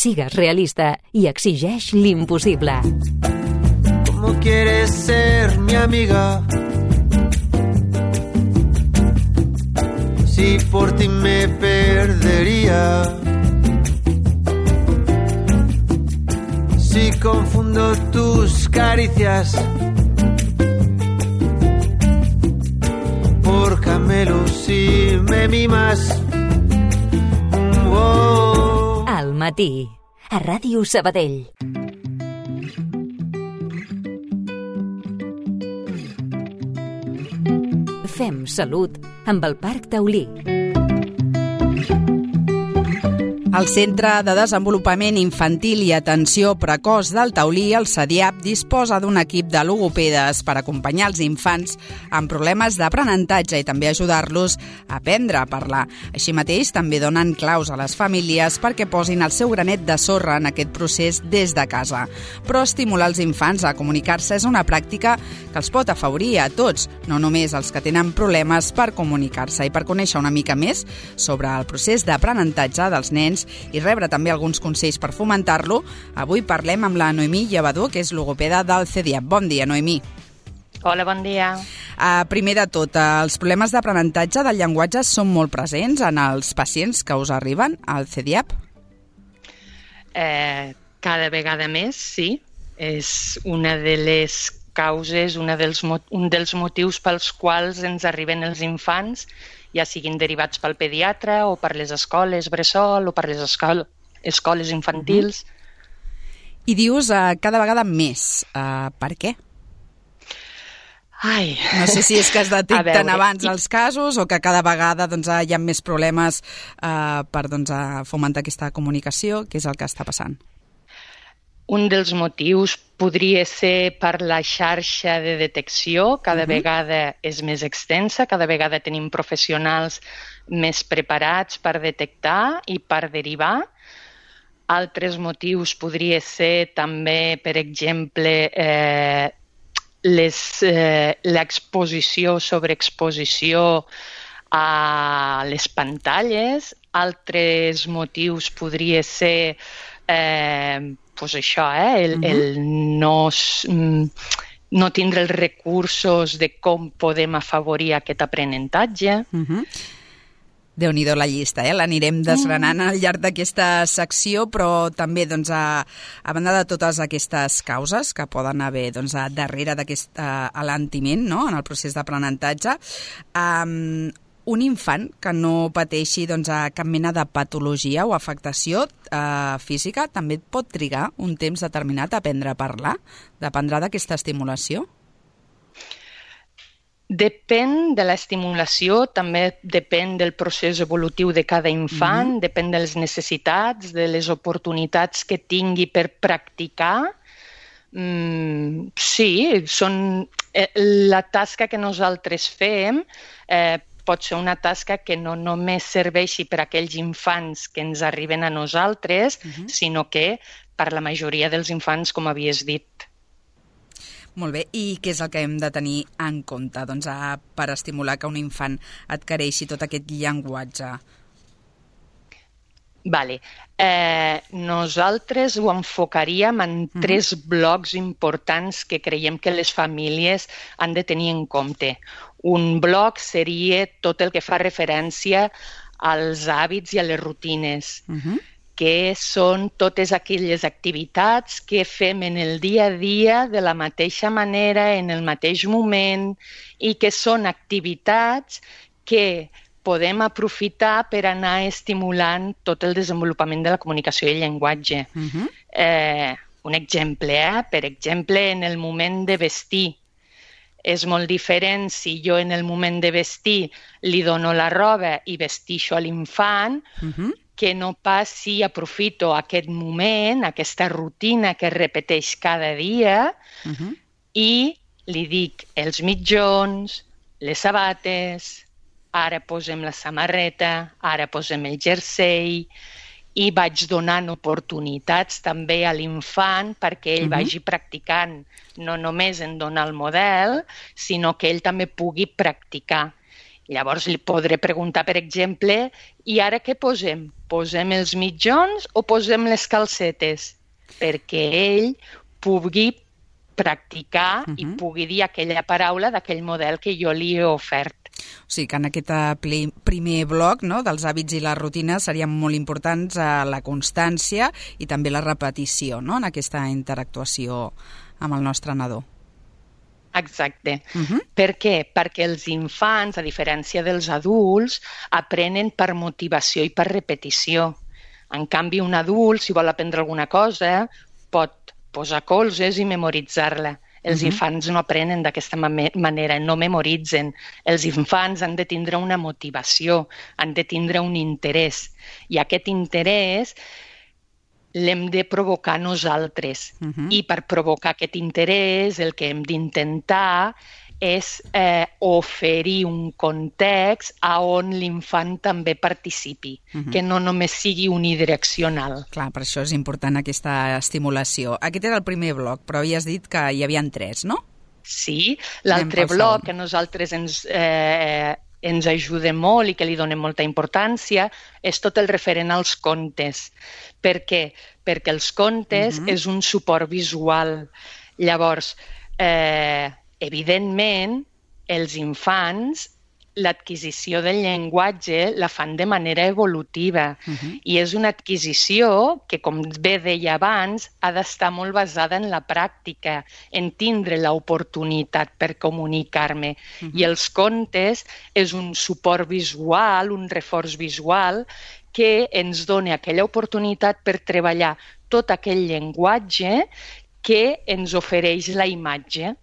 Sigues realista i exigeix l'impossible. ¿Cómo quieres ser mi amiga? Si por ti me perdería. Si confundo tus caricias por camelos y me mimas. Oh. Al matí, a Ràdio Sabadell. Fem salut amb el Parc Taulí. El Centre de Desenvolupament Infantil i Atenció Precoç del Taulí, el CEDIAP, disposa d'un equip de logopedes per acompanyar els infants amb problemes d'aprenentatge i també ajudar-los a aprendre a parlar. Així mateix, també donen claus a les famílies perquè posin el seu granet de sorra en aquest procés des de casa. Però estimular els infants a comunicar-se és una pràctica que els pot afavorir a tots, no només els que tenen problemes per comunicar-se. I per conèixer una mica més sobre el procés d'aprenentatge dels nens i rebre també alguns consells per fomentar-lo, avui parlem amb la Noemí Llevador, que és logopeda del CEDIAP. Bon dia, Noemí. Hola, bon dia. Primer de tot, els problemes d'aprenentatge del llenguatge són molt presents en els pacients que us arriben al CEDIAP? Cada vegada més, sí. És una de les causes, un dels motius pels quals ens arriben els infants, ja siguin derivats pel pediatre o per les escoles bressol o per les escoles infantils. I dius cada vegada més. Per què? Ai. No sé si és que es detecten abans els casos o que cada vegada hi ha més problemes per fomentar aquesta comunicació. Què és el que està passant? Un dels motius podria ser per la xarxa de detecció, cada vegada és més extensa, cada vegada tenim professionals més preparats per detectar i per derivar. Altres motius podria ser també, per exemple, l'exposició, sobreexposició a les pantalles. Altres motius podria ser el no tindre els recursos de com podem afavorir aquest aprenentatge. Déu-n'hi-do la llista, l'anirem desgranant al llarg d'aquesta secció, però també, a banda de totes aquestes causes que poden haver darrere d'aquest alentiment, no?, en el procés d'aprenentatge, un infant que no pateixi cap mena de patologia o afectació física també pot trigar un temps determinat a aprendre a parlar? Dependrà d'aquesta estimulació? Depèn de l'estimulació, també depèn del procés evolutiu de cada infant, depèn de les necessitats, de les oportunitats que tingui per practicar. Sí, la tasca que nosaltres fem pot ser una tasca que no només serveixi per a aquells infants que ens arriben a nosaltres, sinó que per la majoria dels infants, com havies dit. Molt bé, i què és el que hem de tenir en compte per estimular que un infant adquireixi tot aquest llenguatge? Nosaltres ho enfocaríem en 3 blocs importants que creiem que les famílies han de tenir en compte. Un bloc seria tot el que fa referència als hàbits i a les rutines, que són totes aquelles activitats que fem en el dia a dia de la mateixa manera, en el mateix moment, i que són activitats que podem aprofitar per anar estimulant tot el desenvolupament de la comunicació i el llenguatge. Un exemple, per exemple, en el moment de vestir. És molt diferent si jo en el moment de vestir li dono la roba i vestixo a l'infant, que no pas si aprofito aquest moment, aquesta rutina que es repeteix cada dia, i li dic els mitjons, les sabates, ara posem la samarreta, ara posem el jersei, i vaig donant oportunitats també a l'infant perquè ell vagi practicant, no només en donar el model, sinó que ell també pugui practicar. Llavors li podré preguntar, per exemple, i ara què posem? Posem els mitjons o posem les calcetes? Perquè ell pugui practicar i pugui dir aquella paraula d'aquell model que jo li he ofert. O sigui que en aquest primer bloc, no, dels hàbits i les rutines serien molt importants la constància i també la repetició, no, en aquesta interactuació amb el nostre nadó. Exacte. Per què? Perquè els infants, a diferència dels adults, aprenen per motivació i per repetició. En canvi, un adult, si vol aprendre alguna cosa, pot posar colzes i memoritzar-la. Els infants no aprenen d'aquesta manera, no memoritzen. Els infants han de tindre una motivació, han de tindre un interès. I aquest interès l'hem de provocar nosaltres. I per provocar aquest interès el que hem d'intentar és oferir un context on l'infant també participi, que no només sigui unidireccional. Clar, per això és important aquesta estimulació. Aquest era el primer bloc, però havies dit que hi havia 3, no? Sí, l'altre bloc que a nosaltres ens ajuda molt i que li donem molta importància és tot el referent als contes. Per què? Perquè els contes és un suport visual. Llavors, evidentment, els infants l'adquisició del llenguatge la fan de manera evolutiva i és una adquisició que, com bé deia abans, ha d'estar molt basada en la pràctica, en tindre l'oportunitat per comunicar-me. I els contes és un suport visual, un reforç visual que ens dona aquella oportunitat per treballar tot aquell llenguatge que ens ofereix la imatge.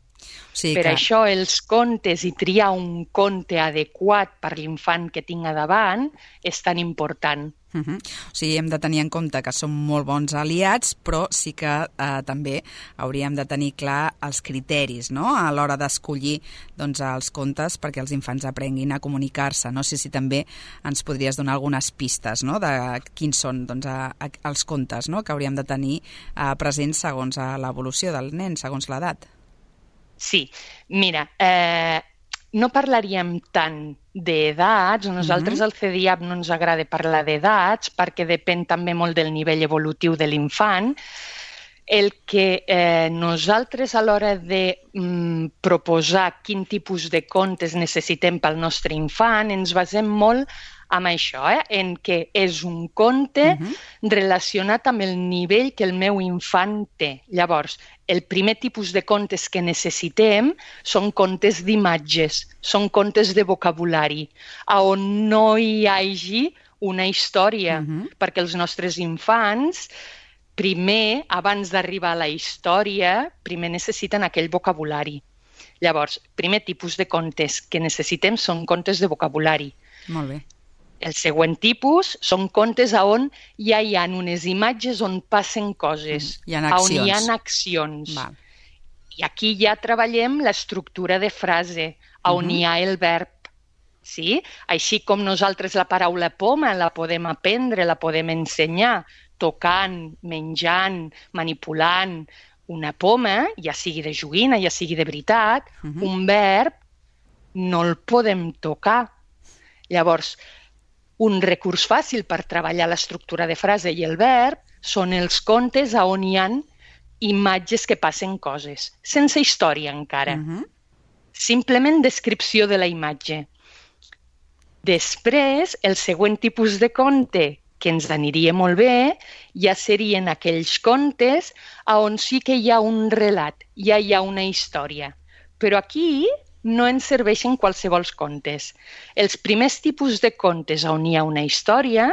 Per això els contes i triar un conte adequat per l'infant que tinc a davant és tan important. O sigui, hem de tenir en compte que som molt bons aliats, però sí que també hauríem de tenir clar els criteris, no?, a l'hora d'escollir els contes perquè els infants aprenguin a comunicar-se. No sé si també ens podries donar algunes pistes, no?, de quins són els contes, no?, que hauríem de tenir presents segons l'evolució del nen, segons l'edat. Sí, mira, no parlaríem tant d'edats, nosaltres al CEDIAP no ens agrada parlar d'edats perquè depèn també molt del nivell evolutiu de l'infant. El que nosaltres a l'hora de proposar quin tipus de contes necessitem pel nostre infant ens basem molt amb això, en què és un conte relacionat amb el nivell que el meu infant té. Llavors, el primer tipus de contes que necessitem són contes d'imatges, són contes de vocabulari, on no hi hagi una història, perquè els nostres infants, primer, abans d'arribar a la història, primer necessiten aquell vocabulari. Llavors, primer tipus de contes que necessitem són contes de vocabulari. Molt bé. El següent tipus són contes on ja hi ha unes imatges on passen coses, on hi ha accions. I aquí ja treballem l'estructura de frase, on hi ha el verb. Sí? Així com nosaltres la paraula poma la podem aprendre, la podem ensenyar, tocant, menjant, manipulant una poma, ja sigui de joguina, ja sigui de veritat, un verb no el podem tocar. Llavors, un recurs fàcil per treballar l'estructura de frase i el verb són els contes on hi ha imatges que passen coses, sense història encara. Simplement descripció de la imatge. Després, el següent tipus de conte que ens aniria molt bé ja serien aquells contes on sí que hi ha un relat, ja hi ha una història. Però aquí no ens serveixen qualsevol contes. Els primers tipus de contes on hi ha una història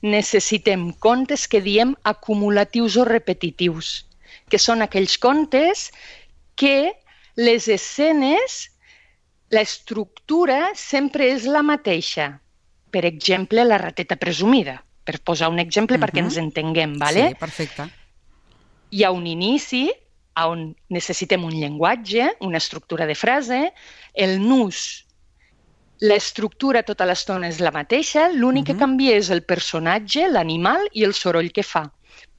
necessitem contes que diem acumulatius o repetitius, que són aquells contes que les escenes, l'estructura sempre és la mateixa. Per exemple, la rateta presumida, per posar un exemple perquè ens entenguem, ¿vale? Sí, perfecte. Hi ha un inici on necessitem un llenguatge, una estructura de frase, el nus, l'estructura tota l'estona és la mateixa, l'únic que canvia és el personatge, l'animal i el soroll que fa.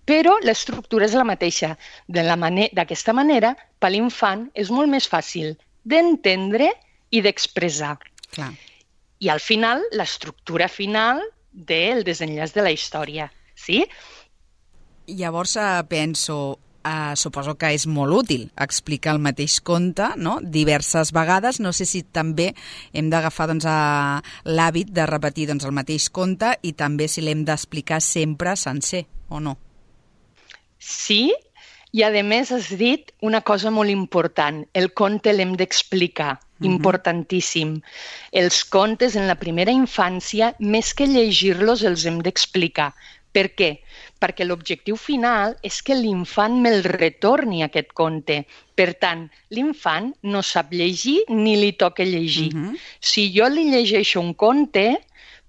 Però l'estructura és la mateixa. D'aquesta manera, per l'infant és molt més fàcil d'entendre i d'expressar. Clar. i al final, l'estructura final del desenllaç de la història. Sí? Llavors penso, suposo que és molt útil explicar el mateix conte, no?, diverses vegades. No sé si també hem d'agafar l'hàbit de repetir el mateix conte i també si l'hem d'explicar sempre sencer, o no? Sí, i a més has dit una cosa molt important, el conte l'hem d'explicar, importantíssim. Els contes en la primera infància, més que llegir-los, els hem d'explicar. Per què? Perquè l'objectiu final és que l'infant me'l retorni aquest conte. Per tant, l'infant no sap llegir ni li toca llegir. Si jo li llegeixo un conte,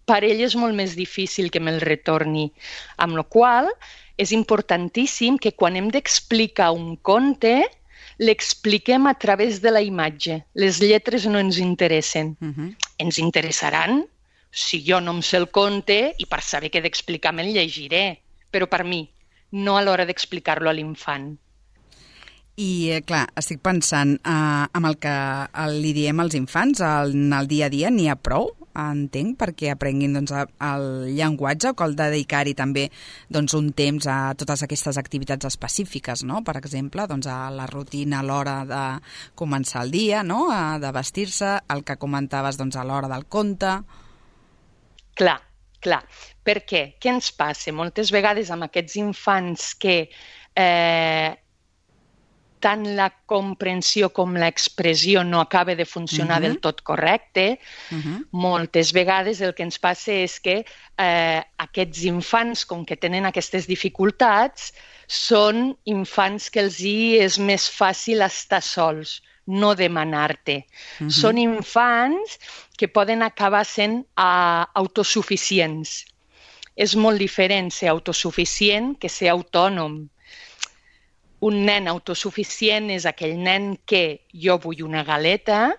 per ell és molt més difícil que me'l retorni. Amb la qual cosa, és importantíssim que quan hem d'explicar un conte, l'expliquem a través de la imatge. Les lletres no ens interessen. Ens interessaran si jo no em sé el conte i per saber què d'explicar me'l llegiré. Però per mi, no a l'hora d'explicar-lo a l'infant. I, clar, estic pensant, amb el que li diem als infants en el dia a dia n'hi ha prou, entenc, perquè aprenguin el llenguatge, o cal dedicar-hi també un temps a totes aquestes activitats específiques, no? Per exemple, a la rutina a l'hora de començar el dia, no?, de vestir-se, el que comentaves a l'hora del conte. Clar. Per què? Què ens passa? Moltes vegades amb aquests infants que tant la comprensió com l'expressió no acaba de funcionar del tot correcte, moltes vegades el que ens passa és que aquests infants, com que tenen aquestes dificultats, són infants que els és més fàcil estar sols, no demanar-te. Són infants que poden acabar sent autosuficients. És molt diferent ser autosuficient que ser autònom. Un nen autosuficient és aquell nen que jo vull una galeta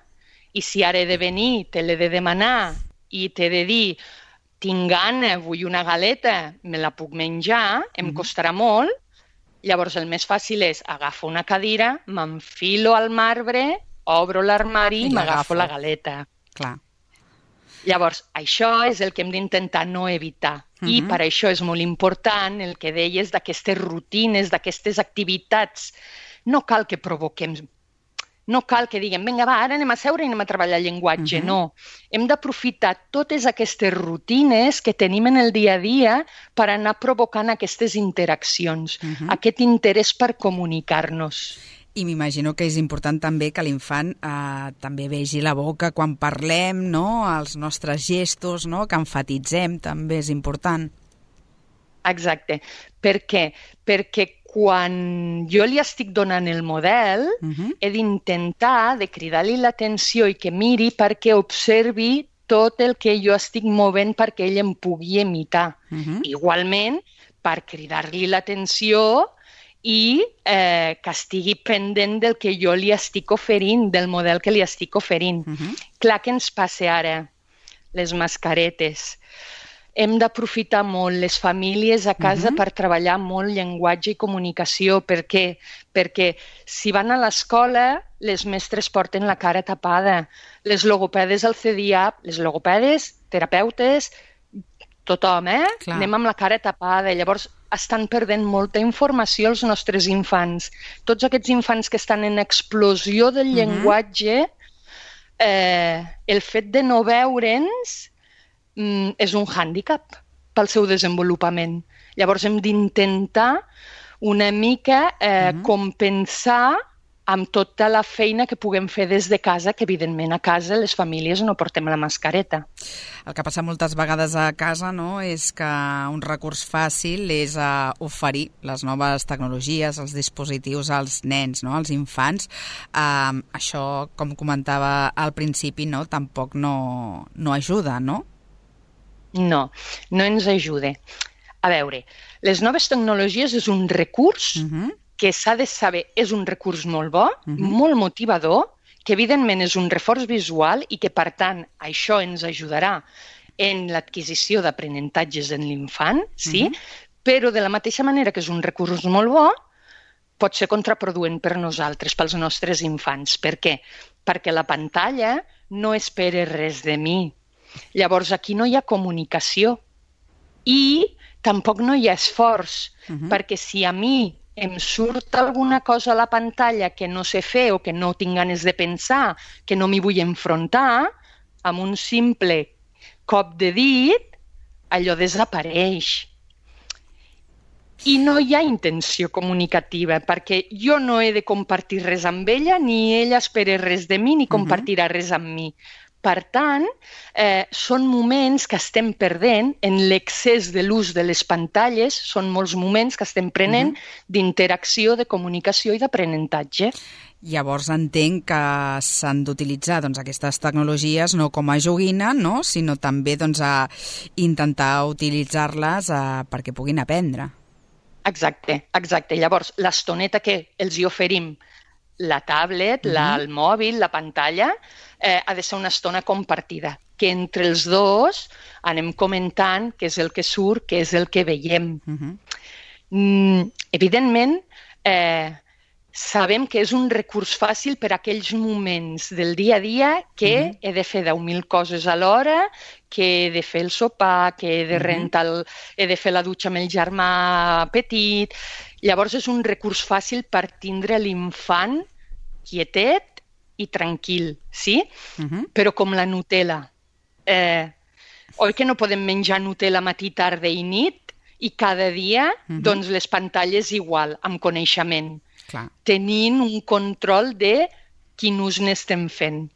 i si ara he de venir, te l'he de demanar i t'he de dir tinc gana, vull una galeta, me la puc menjar, em costarà molt. Llavors el més fàcil és agafo una cadira, m'enfilo al marbre, obro l'armari i m'agafo la galeta. Clar. Llavors, això és el que hem d'intentar no evitar. I per això és molt important el que deies d'aquestes rutines, d'aquestes activitats. No cal que provoquem, no cal que diguem, vinga, va, ara anem a seure i anem a treballar el llenguatge. No, hem d'aprofitar totes aquestes rutines que tenim en el dia a dia per anar provocant aquestes interaccions, aquest interès per comunicar-nos. I m'imagino que és important també que l'infant també vegi la boca quan parlem, no? Els nostres gestos, no? Que enfatitzem, també és important. Exacte. Per què? Perquè quan jo li estic donant el model, he d'intentar de cridar-li l'atenció i que miri perquè observi tot el que jo estic movent perquè ell em pugui imitar. Igualment, per cridar-li l'atenció i que estigui pendent del que jo li estic oferint, del model que li estic oferint. Clar, què ens passa ara? Les mascaretes. Hem d'aprofitar molt les famílies a casa per treballar molt llenguatge i comunicació. Per què? Perquè si van a l'escola, les mestres porten la cara tapada. Les logopedes al CEDIAP, les logopedes, terapeutes, tothom, Clar. Anem amb la cara tapada. Llavors, estan perdent molta informació els nostres infants. Tots aquests infants que estan en explosió del llenguatge, el fet de no veure'ns és un hàndicap pel seu desenvolupament. Llavors hem d'intentar una mica compensar amb tota la feina que puguem fer des de casa, que evidentment a casa les famílies no portem la mascareta. El que passa moltes vegades a casa, no?, és que un recurs fàcil és oferir les noves tecnologies, els dispositius als nens, no?, als infants. Això, com comentava al principi, no?, tampoc no ajuda, no? No, no ens ajuda. A veure, les noves tecnologies és un recurs que s'ha de saber, és un recurs molt bo, molt motivador, que evidentment és un reforç visual i que, per tant, això ens ajudarà en l'adquisició d'aprenentatges en l'infant, sí? Però de la mateixa manera que és un recurs molt bo, pot ser contraproduent per nosaltres, pels nostres infants. Per què? Perquè la pantalla no espera res de mi. Llavors, aquí no hi ha comunicació i tampoc no hi ha esforç, perquè si a mi em surt alguna cosa a la pantalla que no sé fer o que no tinc ganes de pensar, que no m'hi vull enfrontar, amb un simple cop de dit, allò desapareix. I no hi ha intenció comunicativa, perquè jo no he de compartir res amb ella, ni ella espera res de mi, ni compartirà res amb mi. Per tant, són moments que estem perdent en l'excés de l'ús de les pantalles, són molts moments que estem prenent d'interacció, de comunicació i d'aprenentatge. Llavors entenc que s'han d'utilitzar aquestes tecnologies no com a joguina, no? Sinó també a intentar utilitzar-les perquè puguin aprendre. Exacte. Llavors, l'estoneta que els hi oferim, la tablet, el mòbil, la pantalla, ha de ser una estona compartida, que entre els dos anem comentant què és el que surt, què és el que veiem. Evidentment, sabem que és un recurs fàcil per a aquells moments del dia a dia que he de fer 10.000 coses alhora, que he de fer el sopar, que he de rentar, he de fer la dutxa amb el germà petit. Llavors és un recurs fàcil per tindre l'infant quietet i tranquil, sí? Però com la Nutella. Oi que no podem menjar Nutella matí, tarda i nit? I cada dia, doncs les pantalles igual, amb coneixement. Clar. Tenint un control de quin ús n'estem fent.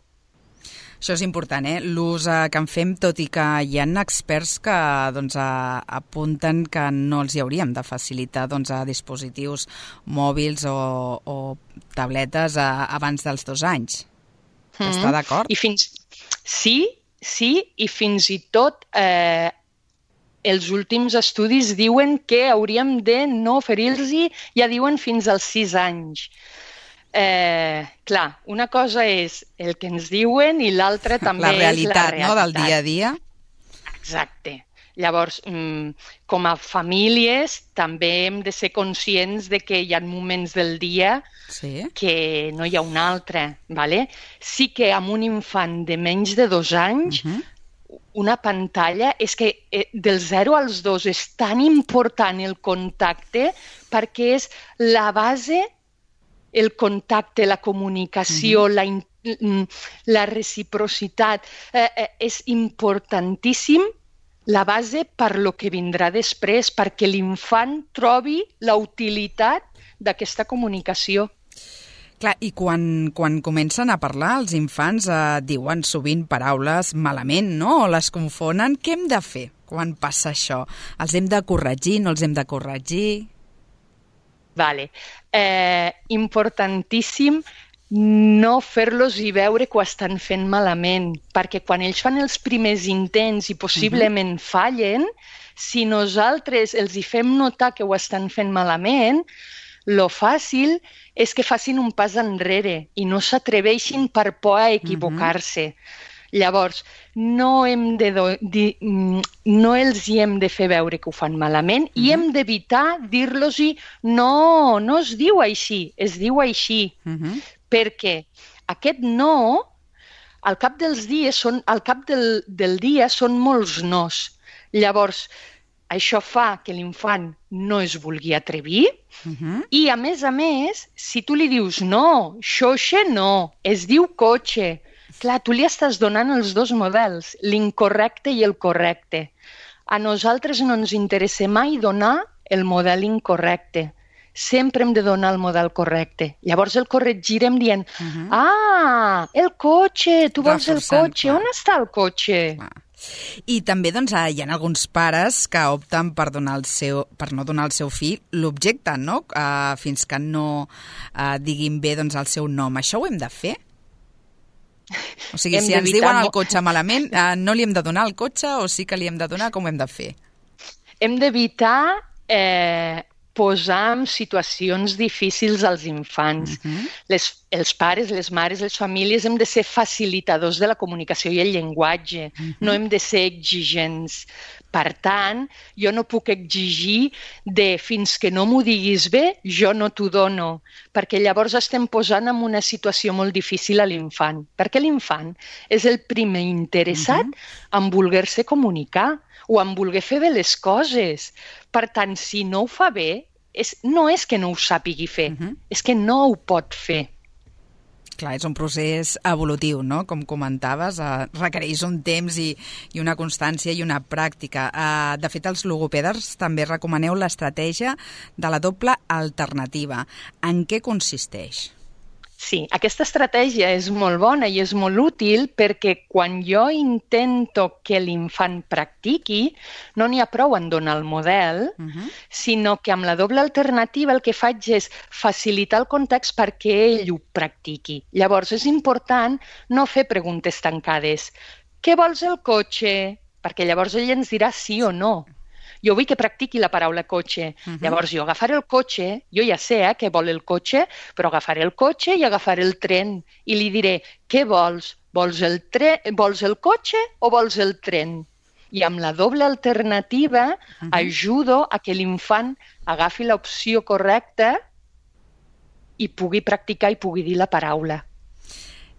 Això és important, l'ús que en fem, tot i que hi ha experts que apunten que no els hi hauríem de facilitar a dispositius mòbils o tabletes abans dels 2 anys. Està d'acord? Sí, i fins i tot els últims estudis diuen que hauríem de no oferir-los, ja diuen fins als 6 anys. Clar, una cosa és el que ens diuen i l'altra també és la realitat. No, del dia a dia. Exacte. Llavors, com a famílies, també hem de ser conscients de que hi ha moments del dia que no hi ha un altre. ¿vale? Sí que amb un infant de menys de 2 anys, una pantalla, és que del 0 als 2 és tan important el contacte perquè és la base, el contacte, la comunicació, la reciprocitat. És importantíssim la base per lo que vindrà després, perquè l'infant trobi la utilitat d'aquesta comunicació. Clar, i quan comencen a parlar, els infants diuen sovint paraules malament, no? O les confonen. Què hem de fer quan passa això? Els hem de corregir, no els hem de corregir? Vale. Importantíssim no fer-los i veure que ho estan fent malament, perquè quan ells fan els primers intents i possiblement fallen, si nosaltres els hi fem notar que ho estan fent malament, lo fàcil és que facin un pas enrere i no s'atreveixin per por a equivocar-se. Llavors, no els hi hem de fer veure que ho fan malament i hem d'evitar dir-los-hi no es diu així, es diu així. Perquè aquest no, al cap del dia són molts nos. Llavors, això fa que l'infant no es vulgui atrevir i, a més, si tu li dius no, xoixe no, es diu cotxe, clar, tu li estàs donant els dos models, l'incorrecte i el correcte. A nosaltres no ens interessa mai donar el model incorrecte. Sempre hem de donar el model correcte. Llavors el corregirem dient el cotxe, tu vols el cotxe, on està el cotxe? I també hi ha alguns pares que opten per no donar al seu fill l'objecte, no? Fins que no diguin bé el seu nom. Això ho hem de fer? O sigui, si ens diuen el cotxe malament, no li hem de donar el cotxe o sí que li hem de donar? Com ho hem de fer? Hem d'evitar posar en situacions difícils als infants. els pares, les mares, les famílies hem de ser facilitadors de la comunicació i el llenguatge, no hem de ser exigents. Per tant, jo no puc exigir de fins que no m'ho diguis bé, jo no t'ho dono, perquè llavors estem posant en una situació molt difícil a l'infant, perquè l'infant és el primer interessat en voler-se comunicar o en voler fer bé les coses. Per tant, si no ho fa bé, no és que no ho sàpigui fer, és que no ho pot fer. Clar, és un procés evolutiu, no? Com comentaves, requereix un temps i una constància i una pràctica. De fet, els logopedes també recomaneu l'estratègia de la doble alternativa. En què consisteix? Sí, aquesta estratègia és molt bona i és molt útil perquè quan jo intento que l'infant practiqui, no n'hi ha prou en donar el model, sinó que amb la doble alternativa el que faig és facilitar el context perquè ell ho practiqui. Llavors és important no fer preguntes tancades. Què vols el cotxe? Perquè llavors ell ens dirà sí o no. Jo vull que practiqui la paraula cotxe. Llavors jo agafaré el cotxe, jo ja sé què vol el cotxe, però agafaré el cotxe i agafaré el tren i li diré, què vols? Vols el cotxe o vols el tren? I amb la doble alternativa ajudo a que l'infant agafi l'opció correcta i pugui practicar i pugui dir la paraula.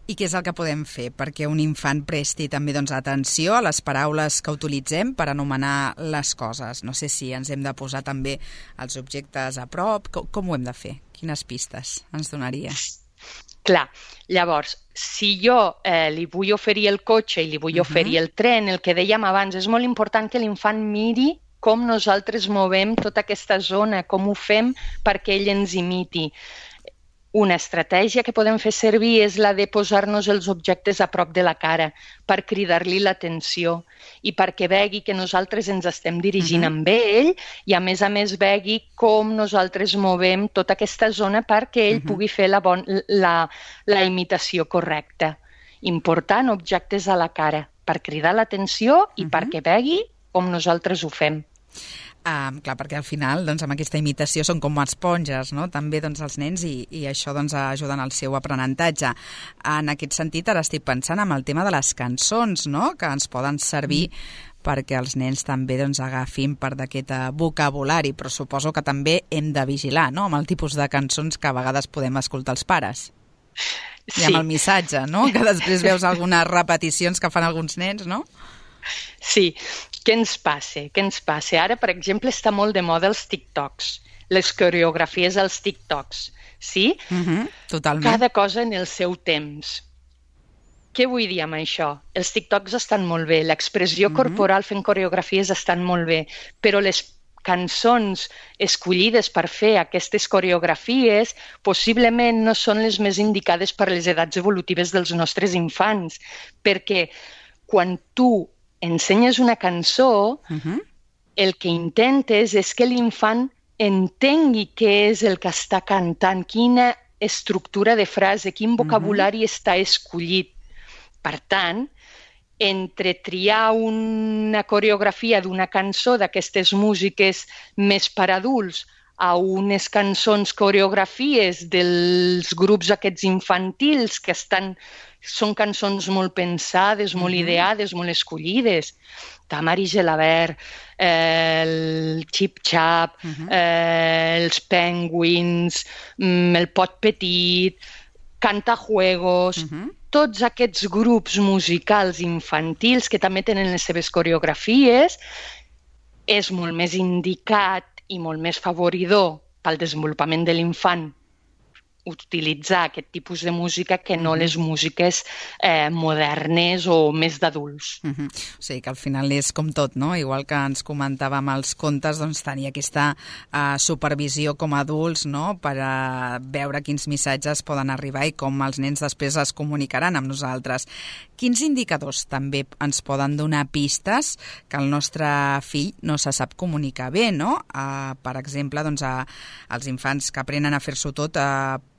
I què és el que podem fer perquè un infant presti també atenció a les paraules que utilitzem per anomenar les coses? No sé si ens hem de posar també els objectes a prop. Com ho hem de fer? Quines pistes ens donaria? Clar, llavors, si jo li vull oferir el cotxe i li vull oferir el tren, el que dèiem abans, és molt important que l'infant miri com nosaltres movem tota aquesta zona, com ho fem perquè ell ens imiti. Una estratègia que podem fer servir és la de posar-nos els objectes a prop de la cara per cridar-li l'atenció i perquè vegi que nosaltres ens estem dirigint amb ell i a més vegi com nosaltres movem tota aquesta zona perquè ell pugui fer la imitació correcta. Important, objectes a la cara per cridar l'atenció i perquè vegi com nosaltres ho fem. Clar, perquè al final amb aquesta imitació són com esponges, no? També els nens i això ajuda en el seu aprenentatge. En aquest sentit, ara estic pensant en el tema de les cançons, no? Que ens poden servir perquè els nens també agafin part d'aquest vocabulari, però suposo que també hem de vigilar, no?, amb el tipus de cançons que a vegades podem escoltar els pares. Sí. I amb el missatge, no?, que després veus algunes repeticions que fan alguns nens, no? Sí, què ens passa? Ara, per exemple, està molt de moda els TikToks, les coreografies als TikToks, sí? Totalment. Cada cosa en el seu temps. Què vull dir amb això? Els TikToks estan molt bé, l'expressió corporal fent coreografies estan molt bé, però les cançons escollides per fer aquestes coreografies possiblement no són les més indicades per les edats evolutives dels nostres infants, perquè quan tu ensenyes una cançó, el que intentes és que l'infant entengui què és el que està cantant, quina estructura de frase, quin vocabulari està escollit. Per tant, entre triar una coreografia d'una cançó d'aquestes músiques més per adults a unes cançons, coreografies dels grups aquests infantils que són cançons molt pensades, molt ideades, molt escollides. Tamari Gelabert, el Chip Chap, els Penguins, el Pot Petit, Cantajuegos, tots aquests grups musicals infantils que també tenen les seves coreografies, és molt més indicat i molt més favoridor pel desenvolupament de l'infant utilitzar aquest tipus de música que no les músiques modernes o més d'adults. O sigui que al final és com tot, no? Igual que ens comentàvem els contes, tenir aquesta supervisió com a adults, no?, per veure quins missatges poden arribar i com els nens després es comunicaran amb nosaltres. Quins indicadors també ens poden donar pistes que el nostre fill no se sap comunicar bé, no? Per exemple, els infants que aprenen a fer-s'ho tot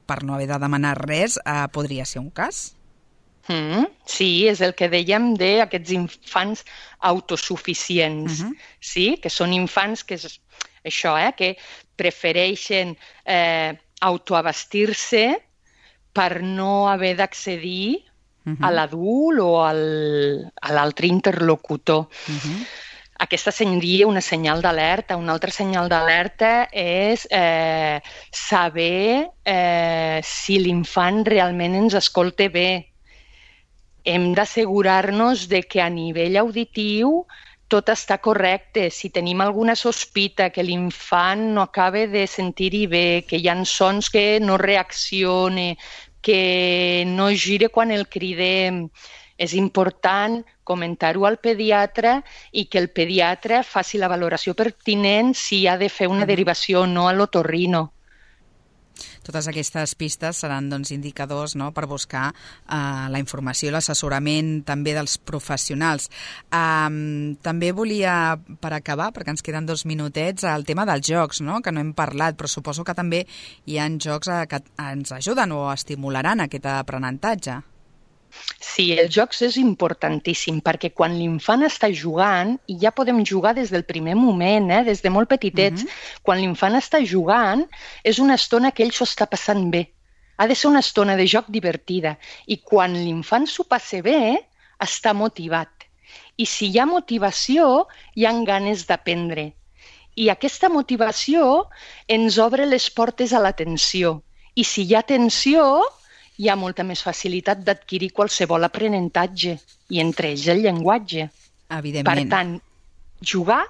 per no haver de demanar res, podria ser un cas? Sí, és el que dèiem d'aquests infants autosuficients, sí? Que són infants que que prefereixen autoabastir-se per no haver d'accedir a l'adult o a l'altre interlocutor. Aquesta seria una senyal d'alerta. Una altra senyal d'alerta és saber si l'infant realment ens escolta bé. Hem d'assegurar-nos de que a nivell auditiu tot està correcte. Si tenim alguna sospita que l'infant no acaba de sentir-hi bé, que hi ha sons que no reacciona, que no gira quan el cridem, és important comentar-ho al pediatre i que el pediatre faci la valoració pertinent si ha de fer una derivació o no a l'otorrino. Totes aquestes pistes seran indicadors per buscar la informació i l'assessorament també dels professionals. També volia, per acabar, perquè ens queden 2 minutets, el tema dels jocs, que no hem parlat, però suposo que també hi ha jocs que ens ajuden o estimularan aquest aprenentatge. Sí, els jocs és importantíssim perquè quan l'infant està jugant, i ja podem jugar des del primer moment, des de molt petitets, quan l'infant està jugant és una estona que ell s'ho està passant bé. Ha de ser una estona de joc divertida i quan l'infant s'ho passa bé, està motivat. I si hi ha motivació, hi ha ganes d'aprendre. I aquesta motivació ens obre les portes a l'atenció. I si hi ha atenció, hi ha molta més facilitat d'adquirir qualsevol aprenentatge, i entre ells el llenguatge. Evidentment. Per tant, jugar,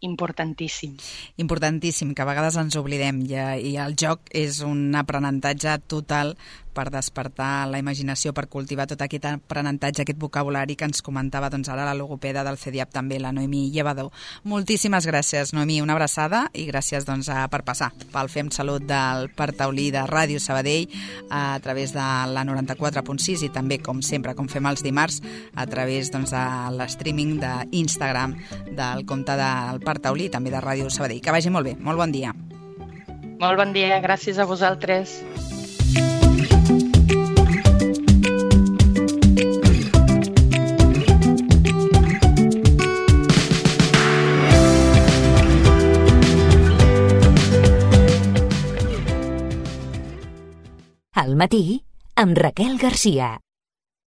importantíssim. Importantíssim, que a vegades ens oblidem, i el joc és un aprenentatge total per despertar la imaginació, per cultivar tot aquest aprenentatge, aquest vocabulari que ens comentava ara la logopeda del CEDIAP també, la Noemí Llevador. Moltíssimes gràcies, Noemí, una abraçada i gràcies per passar pel Fem Salut del Parc Taulí de Ràdio Sabadell a través de la 94.6 i també, com sempre, com fem els dimarts, a través de l'streaming d'Instagram del compte del Parc Taulí i també de Ràdio Sabadell. Que vagi molt bé, molt bon dia. Molt bon dia, gràcies a vosaltres. Al matí, amb Raquel Garcia.